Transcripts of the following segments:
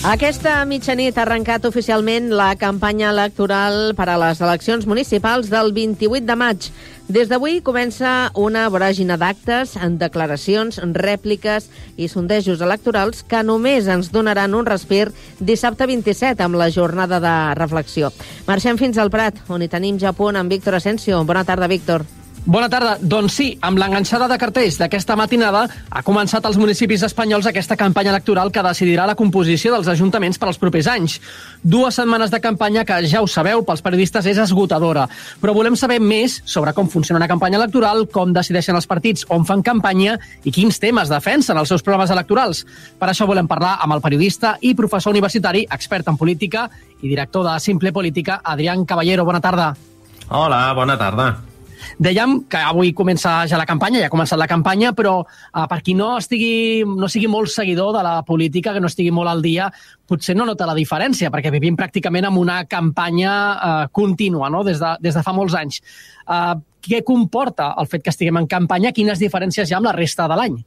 Aquesta mitjanit ha arrencat oficialment la campanya electoral per a les eleccions municipals del 28 de maig. Des d'avui comença una voràgina d'actes, declaracions, rèpliques i sondejos electorals que només ens donaran un respir dissabte 27 amb la jornada de reflexió. Marxem fins al Prat, on hi tenim ja a punt amb Víctor Asensio. Bona tarda, Víctor. Bona tarda. Doncs sí, amb l'enganxada de cartells d'aquesta matinada ha començat als municipis espanyols aquesta campanya electoral que decidirà la composició dels ajuntaments per als propers anys. 2 setmanes de campanya que, ja ho sabeu, pels periodistes és esgotadora. Però volem saber més sobre com funciona una campanya electoral, com decideixen els partits on fan campanya i quins temes defensen els seus programes electorals. Per això volem parlar amb el periodista i professor universitari, expert en política i director de Simple Política, Adrián Caballero. Bona tarda. Hola, bona tarda. Dèiem que avui comença ja la campanya, ja ha començat la campanya, però per qui no sigui molt seguidor de la política, que no estigui molt al dia, potser no nota la diferència, perquè vivim pràcticament amb una campanya contínua, no? des de fa molts anys. Què comporta el fet que estiguem en campanya? Quines diferències hi ha amb la resta de l'any?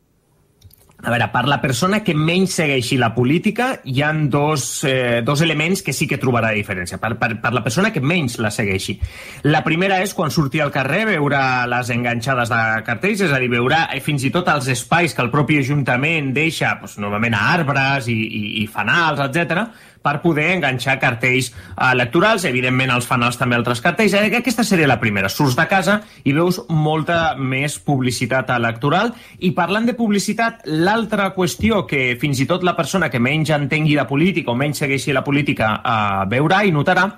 A veure, per la persona que menys segueixi la política hi ha dos elements que sí que trobarà diferència. Per la persona que menys la segueixi. La primera és quan surti al carrer, veurà les enganxades de cartells, és a dir, veurà fins i tot els espais que el propi Ajuntament deixa, normalment a arbres i fanals, etc., per poder enganxar cartells electorals. Evidentment, els fanals també altres cartells. Aquesta seria la primera. Surts de casa i veus molta més publicitat electoral. I parlant de publicitat, l'altra qüestió que fins i tot la persona que menys entengui de política o menys segueixi la política veurà i notarà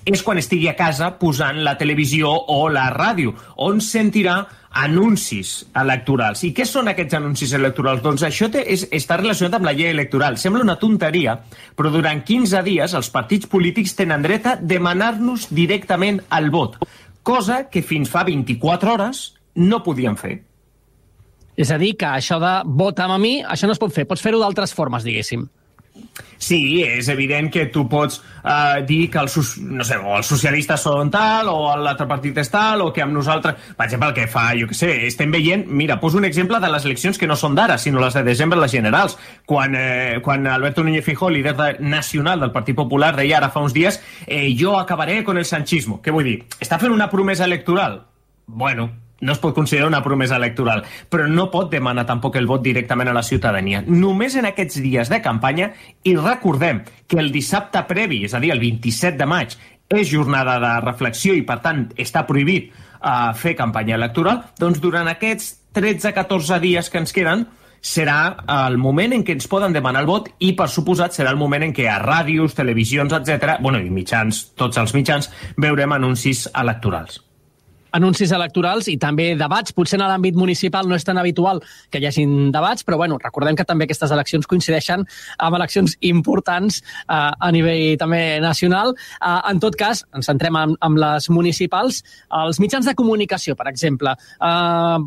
és quan estigui a casa posant la televisió o la ràdio, on sentirà anuncis electorals. I què són aquests anuncis electorals? Doncs això està relacionat amb la llei electoral. Sembla una tonteria, però durant 15 dies els partits polítics tenen dret a demanar-nos directament el vot, cosa que fins fa 24 hores no podien fer. És a dir, que això de vota'm a mi, això no es pot fer. Pots fer-ho d'altres formes, diguéssim. Sí, és evident que tu pots dir que els socialistes són tal, o l'altre partit és tal, o que amb nosaltres... Per exemple, el que fa, jo què sé, estem veient... Mira, poso un exemple de les eleccions que no són d'ara, sinó les de desembre, les generals. Quan Alberto Núñez Feijóo, líder nacional del Partit Popular, deia ara fa uns dies jo acabaré con el sanchismo. Què vull dir? Està fent una promesa electoral? Bueno, no es pot considerar una promesa electoral, però no pot demanar tampoc el vot directament a la ciutadania. Només en aquests dies de campanya, i recordem que el dissabte previ, és a dir, el 27 de maig, és jornada de reflexió i, per tant, està prohibit fer campanya electoral, doncs durant aquests 13-14 dies que ens queden, serà el moment en què ens poden demanar el vot i, per suposat, serà el moment en què a ràdios, televisions, etc., i mitjans, tots els mitjans, veurem anuncis electorals. Anuncis electorals i també debats. Potser en l'àmbit municipal no és tan habitual que hi hagin debats, però recordem que també aquestes eleccions coincideixen amb eleccions importants a nivell també nacional. En tot cas, ens centrem en les municipals. Els mitjans de comunicació, per exemple,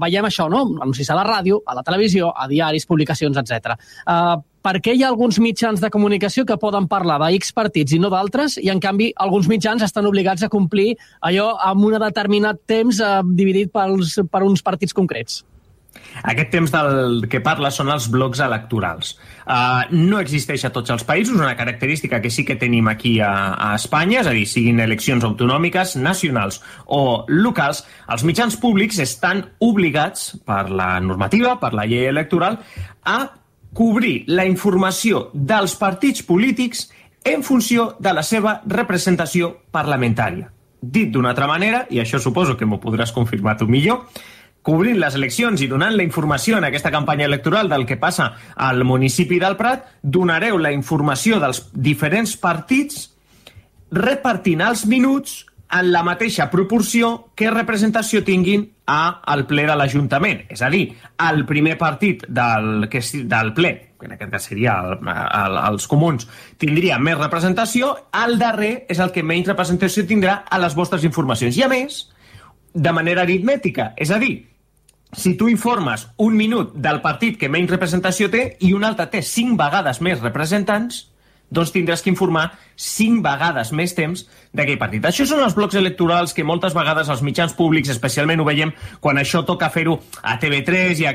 veiem això, no? Anuncis a la ràdio, a la televisió, a diaris, publicacions, etc. Per què hi ha alguns mitjans de comunicació que poden parlar d'X partits i no d'altres, i en canvi alguns mitjans estan obligats a complir allò amb un determinat temps dividit per uns partits concrets? Aquest temps del que parla són els blocs electorals. No existeix a tots els països, una característica que sí que tenim aquí a Espanya, és a dir, siguin eleccions autonòmiques, nacionals o locals, els mitjans públics estan obligats per la normativa, per la llei electoral, a cobrir la informació dels partits polítics en funció de la seva representació parlamentària. Dit d'una altra manera, i això suposo que m'ho podràs confirmar tu millor, cobrint les eleccions i donant la informació en aquesta campanya electoral del que passa al municipi del Prat, donareu la informació dels diferents partits repartint els minuts en la mateixa proporció que representació tinguin al ple de l'Ajuntament. És a dir, el primer partit del ple, que en aquest cas seria els comuns, tindria més representació, el darrer és el que menys representació tindrà a les vostres informacions. I a més, de manera aritmètica, és a dir, si tu informes un minut del partit que menys representació té i un altre té 5 vegades més representants, doncs tindràs que informar 5 vegades més temps d'aquell partit. Això són els blocs electorals que moltes vegades els mitjans públics, especialment ho veiem quan això toca fer-ho a TV3 i a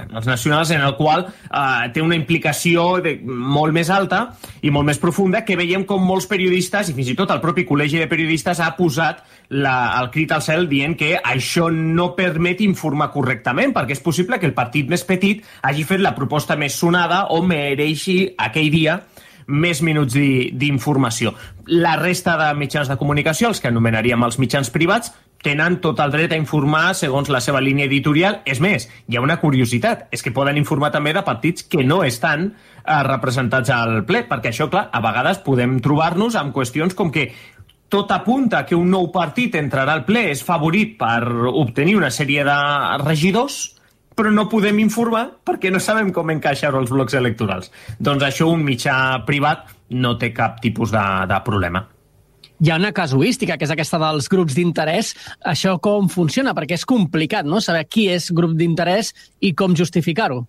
els nacionals, en el qual té una implicació molt més alta i molt més profunda, que veiem com molts periodistes, i fins i tot el propi Col·legi de Periodistes, ha posat el crit al cel dient que això no permet informar correctament, perquè és possible que el partit més petit hagi fet la proposta més sonada o mereixi aquell dia més minuts d'informació. La resta de mitjans de comunicació, els que anomenaríem els mitjans privats, tenen tot el dret a informar segons la seva línia editorial. És més, hi ha una curiositat, és que poden informar també de partits que no estan representats al ple, perquè això, clar, a vegades podem trobar-nos amb qüestions com que tot apunta que un nou partit entrarà al ple, és favorit per obtenir una sèrie de regidors, però no podem informar perquè no sabem com encaixar-ho als blocs electorals. Doncs això un mitjà privat no té cap tipus de problema. Hi ha una casuística, que és aquesta dels grups d'interès. Això com funciona? Perquè és complicat, no?, saber qui és grup d'interès i com justificar-ho.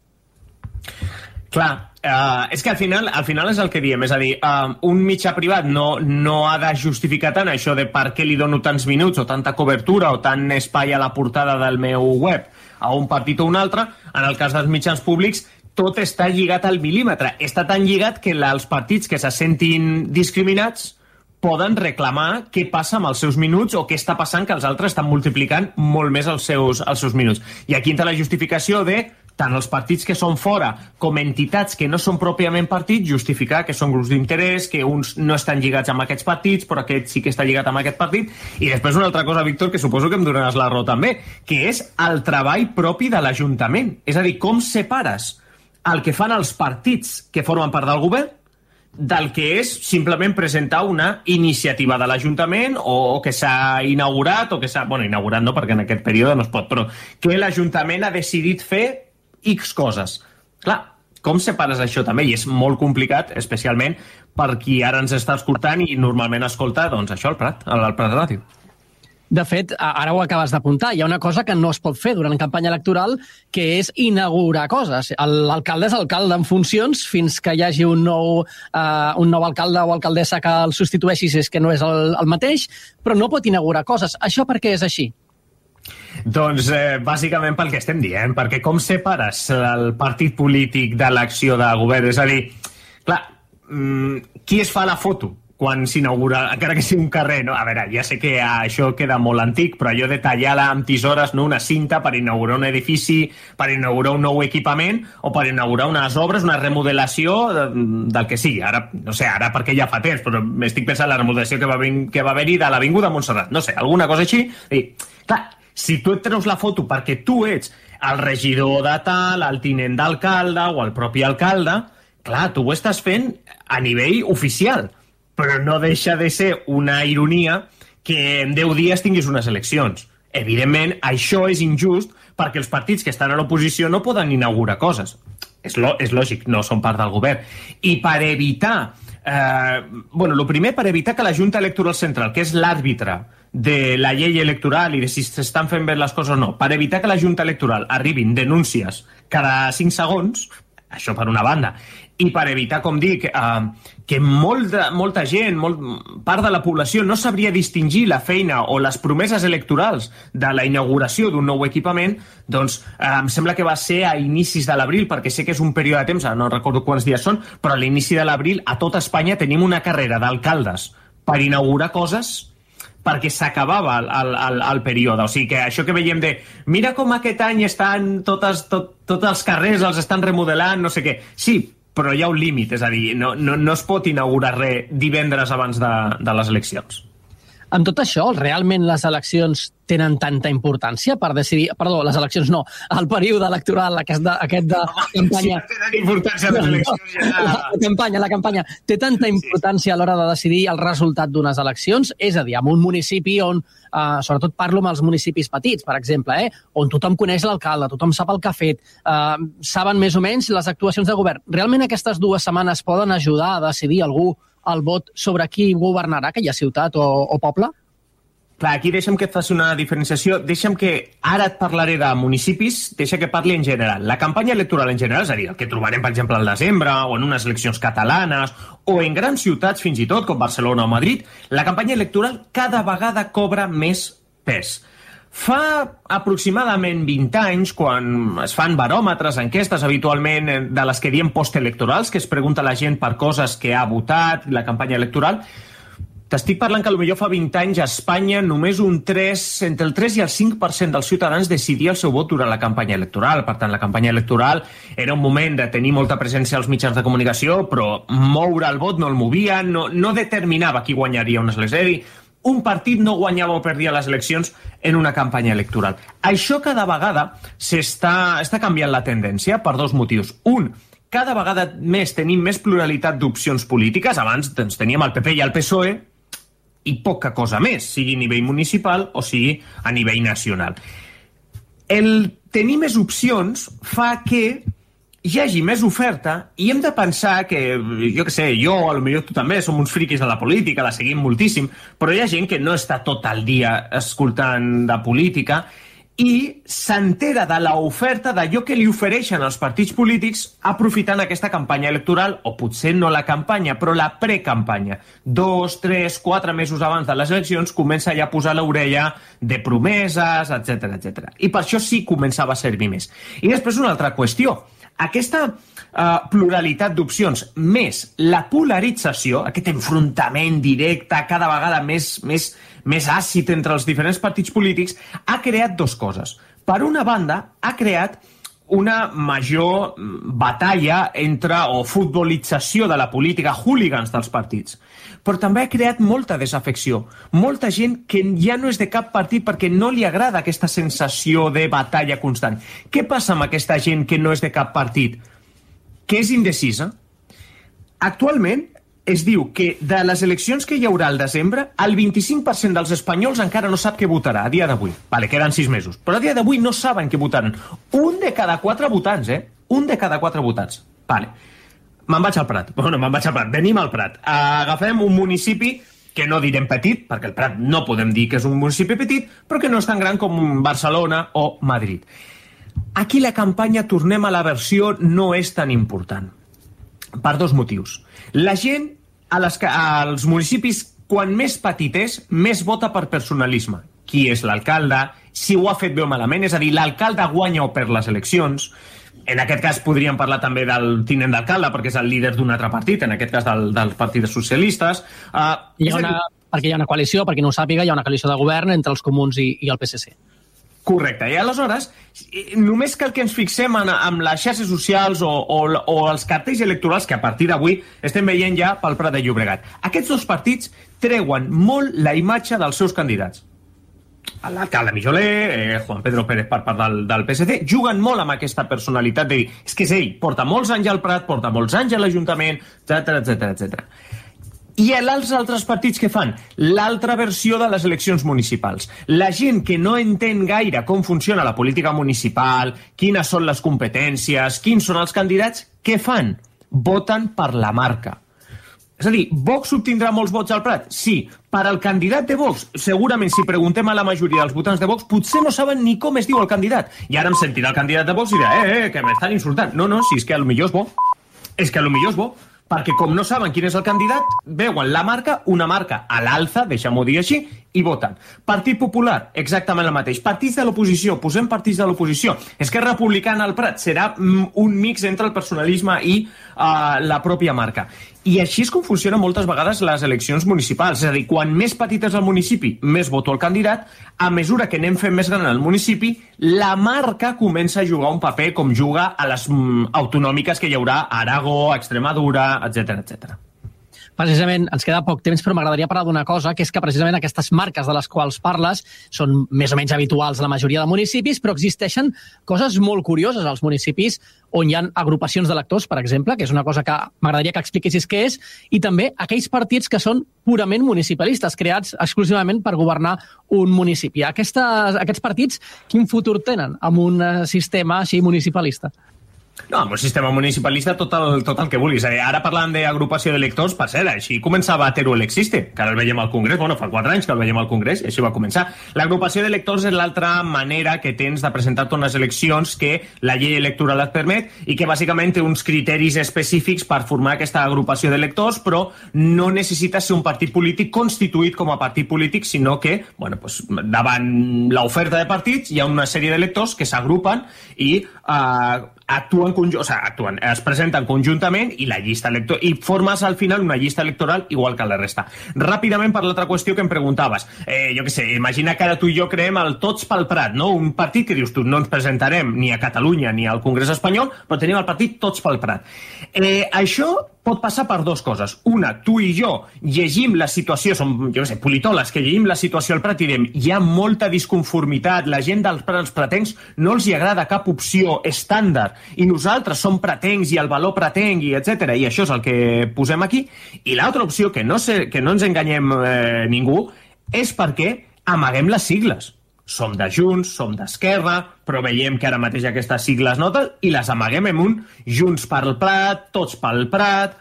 Clar, és que al final és el que diem, és a dir, un mitjà privat no ha de justificar tant això de per què li dono tants minuts o tanta cobertura o tant espai a la portada del meu web a un partit o un altre. En el cas dels mitjans públics, tot està lligat al mil·límetre. Està tan lligat que els partits que se sentin discriminats poden reclamar què passa amb els seus minuts o què està passant que els altres estan multiplicant molt més els seus minuts. I aquí entra la justificació de tant els partits que són fora com entitats que no són pròpiament partits, justificar que són grups d'interès, que uns no estan lligats amb aquests partits, però aquest sí que està lligat amb aquest partit. I després una altra cosa, Víctor, que suposo que em donaràs la raó també, que és el treball propi de l'Ajuntament. És a dir, com separes el que fan els partits que formen part del govern del que és simplement presentar una iniciativa de l'Ajuntament o que s'ha inaugurat o que s'ha... Bueno, inaugurat no, perquè en aquest període no es pot, però que l'Ajuntament ha decidit fer X coses. Clar, com separes això també? I és molt complicat, especialment per qui ara ens està escoltant i normalment escolta, doncs això, al Prat Ràdio. De fet, ara ho acabes d'apuntar, hi ha una cosa que no es pot fer durant campanya electoral, que és inaugurar coses. L'alcalde és alcalde en funcions fins que hi hagi un nou alcalde o alcaldessa que el substitueixi si és que no és el mateix, però no pot inaugurar coses. Això per què és així? Doncs bàsicament pel que estem dient, perquè com separes el partit polític de l'acció de govern? És a dir, clar, qui es fa la foto quan s'inaugura, encara que sigui un carrer, no? A veure, ja sé que això queda molt antic, però allò de tallar amb tisores, no, una cinta per inaugurar un edifici, per inaugurar un nou equipament o per inaugurar unes obres, una remodelació del que sigui. Ara, no sé, ara perquè ja fa temps, però m'estic pensant en la remodelació que va haver-hi de l'Avinguda Montserrat. No sé, alguna cosa així. I, clar, si tu et treus la foto perquè tu ets el regidor de tal, el tinent d'alcalde o el propi alcalde, clar, tu ho estàs fent a nivell oficial, però no deixa de ser una ironia que en 10 dies tinguis unes eleccions. Evidentment, això és injust perquè els partits que estan a l'oposició no poden inaugurar coses. És lògic, no són part del govern. I per evitar... el primer, per evitar que la Junta Electoral Central, que és l'àrbitre de la llei electoral i de si s'estan fent bé les coses o no, per evitar que la Junta Electoral arribin denúncies cada 5 segons, això per una banda, i per evitar, com dic, que molta gent, part de la població no sabria distingir la feina o les promeses electorals de la inauguració d'un nou equipament, doncs em sembla que va ser a inicis de l'abril, perquè sé que és un període de temps, no recordo quants dies són, però a l'inici de l'abril a tot Espanya tenim una carrera d'alcaldes per inaugurar coses perquè s'acabava el període. O sigui que això que veiem de mira com aquest any estan tots els carrers, els estan remodelant, no sé què. Sí, però hi ha un límit, és a dir, no es pot inaugurar res divendres abans de les eleccions. Amb tot això, realment les eleccions tenen tanta importància per decidir... Perdó, les eleccions no, el període electoral, aquest de campanya... Sí, tenen importància les eleccions ja... La campanya té tanta importància a l'hora de decidir el resultat d'unes eleccions? És a dir, en un municipi on, sobretot parlo amb els municipis petits, per exemple, on tothom coneix l'alcalde, tothom sap el que ha fet, saben més o menys les actuacions de govern. Realment aquestes 2 setmanes poden ajudar a decidir algú el vot sobre qui governarà aquella ciutat o poble? Clar, aquí deixa'm que et faci una diferenciació. Deixa'm que ara et parlaré de municipis, deixa que parli en general. La campanya electoral en general, és a dir, el que trobarem, per exemple, al desembre, o en unes eleccions catalanes, o en grans ciutats, fins i tot, com Barcelona o Madrid, la campanya electoral cada vegada cobra més pes. Fa aproximadament 20 anys, quan es fan baròmetres, enquestes, habitualment de les que diem postelectorals, que es pregunta la gent per coses que ha votat, la campanya electoral, t'estic parlant que potser fa 20 anys a Espanya només entre el 3 i el 5% dels ciutadans decidia el seu vot durant la campanya electoral. Per tant, la campanya electoral era un moment de tenir molta presència als mitjans de comunicació, però moure el vot no el movia, no determinava qui guanyaria unes eleccions. Un partit no guanyava o perdia les eleccions en una campanya electoral. Això cada vegada està canviant la tendència per dos motius. Un, cada vegada més tenim més pluralitat d'opcions polítiques. Abans teníem el PP i el PSOE, i poca cosa més, sigui a nivell municipal o sigui a nivell nacional. El tenir més opcions fa que hi hagi més oferta i hem de pensar que, jo què sé, jo, potser tu també, som uns friquis de la política, la seguim moltíssim, però hi ha gent que no està tot el dia escoltant de política i s'entera de l'oferta d'allò que li ofereixen els partits polítics aprofitant aquesta campanya electoral, o potser no la campanya, però la precampanya. 2, 3, 4 mesos abans de les eleccions comença ja a posar l'orella de promeses, etc. I per això sí començava a servir més. I després una altra qüestió. Aquesta pluralitat d'opcions més la polarització, aquest enfrontament directe cada vegada més àcid entre els diferents partits polítics, ha creat dues coses. Per una banda, ha creat una major batalla o futbolització de la política, hooligans dels partits. Però també ha creat molta desafecció. Molta gent que ja no és de cap partit perquè no li agrada aquesta sensació de batalla constant. Què passa amb aquesta gent que no és de cap partit? Que és indecisa? Actualment es diu que de les eleccions que hi haurà al desembre, el 25% dels espanyols encara no sap què votarà a dia d'avui. Vale, queden 6 mesos. Però a dia d'avui no saben què votaran. 1 de cada 4 votants, 1 de cada 4 votants. Vale. Me'n vaig al Prat. Bueno, me'n vaig al Prat. Venim al Prat. Agafem un municipi que no direm petit, perquè el Prat no podem dir que és un municipi petit, però que no és tan gran com Barcelona o Madrid. Aquí la campanya, tornem a la versió, no és tan important. Per dos motius. La gent als municipis, quan més petit és, més vota per personalisme. Qui és l'alcalde, si ho ha fet bé o malament, és a dir, l'alcalde guanya o perd les eleccions. En aquest cas podríem parlar també del tinent d'alcalde, perquè és el líder d'un altre partit, en aquest cas dels partits socialistes. Perquè hi ha una coalició, perquè no ho sàpiga, hi ha una coalició de govern entre els comuns i el PSC. Correcte, i aleshores només cal que ens fixem en les xarxes socials o els cartells electorals que a partir d'avui estem veient ja pel Prat de Llobregat. Aquests dos partits treuen molt la imatge dels seus candidats. L'alcalde Mijoler, Juan Pedro Pérez per part del PSC, juguen molt amb aquesta personalitat de dir, és que és ell, porta molts anys al Prat, porta molts anys a l'Ajuntament, etc. I els altres partits que fan? L'altra versió de les eleccions municipals. La gent que no entén gaire com funciona la política municipal, quines són les competències, quins són els candidats, què fan? Voten per la marca. És a dir, Vox obtindrà molts vots al Prat? Sí. Per al candidat de Vox, segurament si preguntem a la majoria dels votants de Vox, potser no saben ni com es diu el candidat. I ara em sentirà el candidat de Vox i dirà, que m'estan insultant. No, si és que potser és bo. És que potser és bo. Perquè com no saben quin és el candidat, veuen la marca, una marca a l'alça, deixem-ho dir així, i voten. Partit Popular, exactament el mateix. Partits de l'oposició, posem partits de l'oposició. Esquerra Republicana al Prat serà un mix entre el personalisme i la pròpia marca. I així és com funcionen moltes vegades les eleccions municipals. És a dir, quan més petit és el municipi, més voto el candidat. A mesura que anem fent més gran el municipi, la marca comença a jugar un paper com juga a les autonòmiques que hi haurà a Aragó, a Extremadura, etc. Precisament, ens queda poc temps, però m'agradaria parlar d'una cosa, que és que precisament aquestes marques de les quals parles són més o menys habituals a la majoria de municipis, però existeixen coses molt curioses als municipis on hi ha agrupacions d'electors, per exemple, que és una cosa que m'agradaria que expliquessis què és, i també aquells partits que són purament municipalistes, creats exclusivament per governar un municipi. Aquests partits, quin futur tenen amb un sistema així municipalista? No, amb un sistema municipalista tot el que vulguis. Ara parlant d'agrupació d'electors, per cert, així començava Teruel Existe, que ara el veiem al Congrés, fa 4 anys que el veiem al Congrés, i així va començar. L'agrupació d'electors és l'altra manera que tens de presentar-te unes eleccions que la llei electoral et permet i que bàsicament té uns criteris específics per formar aquesta agrupació d'electors, però no necessites ser un partit polític constituït com a partit polític, sinó que, davant l'oferta de partits hi ha una sèrie d'electors que s'agrupen i es presenten conjuntament i la llista electoral, i formes al final una llista electoral igual que la resta. Ràpidament, per l'altra qüestió que em preguntaves, jo què sé, imagina que ara tu i jo creem el Tots pel Prat, no? Un partit que dius tu, no ens presentarem ni a Catalunya ni al Congrés espanyol, però tenim el partit Tots pel Prat. Això pot passar per 2 coses. Una, tu i jo llegim la situació, som, jo què sé, politòlegs que llegim la situació al Prat i diem hi ha molta disconformitat, la gent dels pratencs no els hi agrada cap opció estàndard i nosaltres som pratencs i el valor pratenc i etc. I això és el que posem aquí. I l'altra opció, que no ens enganyem ningú, és perquè amaguem les sigles. Som de Junts, som d'Esquerra, però veiem que ara mateix aquestes sigles notes i les amaguem en un Junts pel Prat, Tots pel Prat.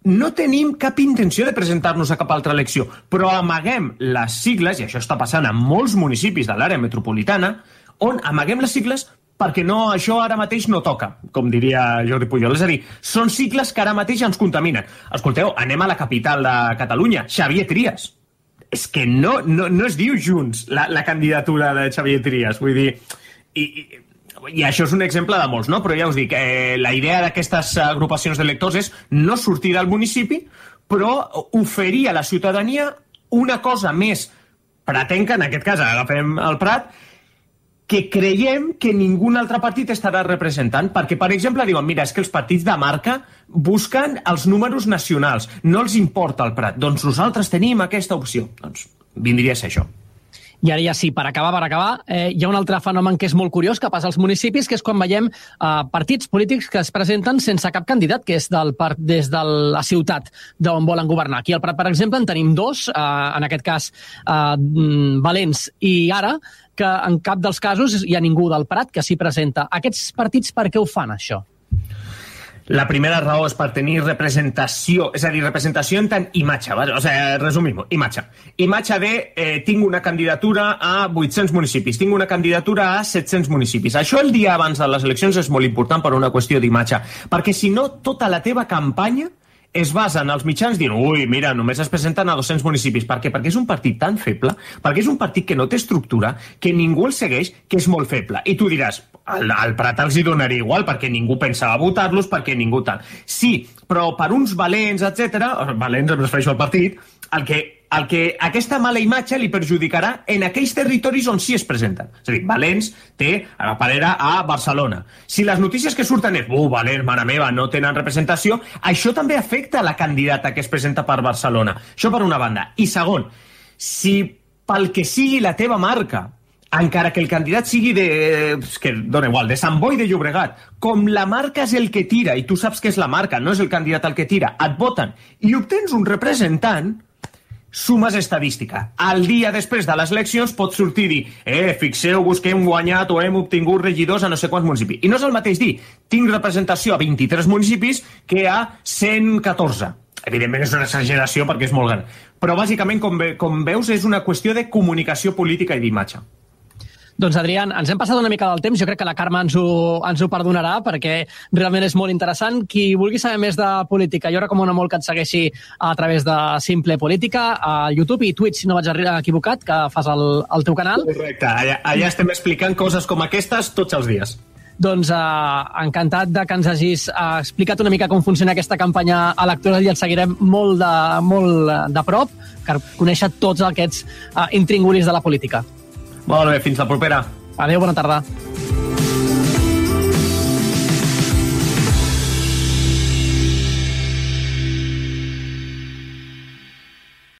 No tenim cap intenció de presentar-nos a cap altra elecció, però amaguem les sigles, i això està passant en molts municipis de l'àrea metropolitana, on amaguem les sigles perquè això ara mateix no toca, com diria Jordi Pujol. És a dir, són sigles que ara mateix ens contaminen. Escolteu, anem a la capital de Catalunya, Xavier Trias. És que no es diu Junts la candidatura de Xavier Trias, vull dir... I això és un exemple de molts, no? Però ja us dic, la idea d'aquestes agrupacions d'electors és no sortir del municipi, però oferir a la ciutadania una cosa més pratenca, en aquest cas agafem el Prat, que creiem que ningú altre partit estarà representant, perquè, per exemple, diuen, mira, és que els partits de marca busquen els números nacionals, no els importa el Prat. Doncs nosaltres tenim aquesta opció. Doncs vindria a ser això. I ara ja sí, per acabar, hi ha un altre fenomen que és molt curiós que passa als municipis, que és quan veiem partits polítics que es presenten sense cap candidat, que és des de la ciutat d'on volen governar. Aquí al Prat, per exemple, en tenim 2, en aquest cas Valents i Ara, que en cap dels casos hi ha ningú del Prat que s'hi presenta. Aquests partits per què ho fan, això? La primera raó és per tenir representació, és a dir, representació en tant imatge, ¿vale? O sea, resumim-ho, imatge. Imatge de tinc una candidatura a 800 municipis, tinc una candidatura a 700 municipis. Això el dia abans de les eleccions és molt important per una qüestió d'imatge, perquè si no, tota la teva campanya es basa en els mitjans dient, ui, mira, només es presenten a 200 municipis. Per què? Perquè és un partit tan feble, perquè és un partit que no té estructura, que ningú el segueix, que és molt feble. I tu diràs, al Prat els hi donaria igual, perquè ningú pensava votar-los, perquè ningú tal. Sí, però per uns valents, valents em refereixo al partit, el que aquesta mala imatge li perjudicarà en aquells territoris on sí es presenten. És a dir, Valents té a Parera a Barcelona. Si les notícies que surten és Valents, mare meva, no tenen representació, això també afecta la candidata que es presenta per Barcelona. Això per una banda. I segon, si pel que sigui la teva marca, encara que el candidat sigui que dona igual, de Sant Boi de Llobregat, com la marca és el que tira, i tu saps que és la marca, no és el candidat el que tira, et voten i obtens un representant, sumes estadística. El dia després de les eleccions pots sortir i dir fixeu-vos que hem guanyat o hem obtingut regidors a no sé quants municipis. I no és el mateix dir, tinc representació a 23 municipis que a 114. Evidentment és una exageració perquè és molt gran. Però bàsicament, com veus, és una qüestió de comunicació política i d'imatge. Doncs, Adrián, ens hem passat una mica del temps. Jo crec que la Carme ens ho perdonarà, perquè realment és molt interessant. Qui vulgui saber més de política, jo recomano molt que et segueixi a través de Simple Política, a YouTube i Twitch, si no vaig equivocat, que fas el teu canal. Correcte, allà estem explicant coses com aquestes tots els dies. Doncs encantat de que ens hagis explicat una mica com funciona aquesta campanya electoral i et seguirem molt de prop per conèixer tots aquests intríngulis de la política. Molt bé, fins la propera. Adéu, bona tarda.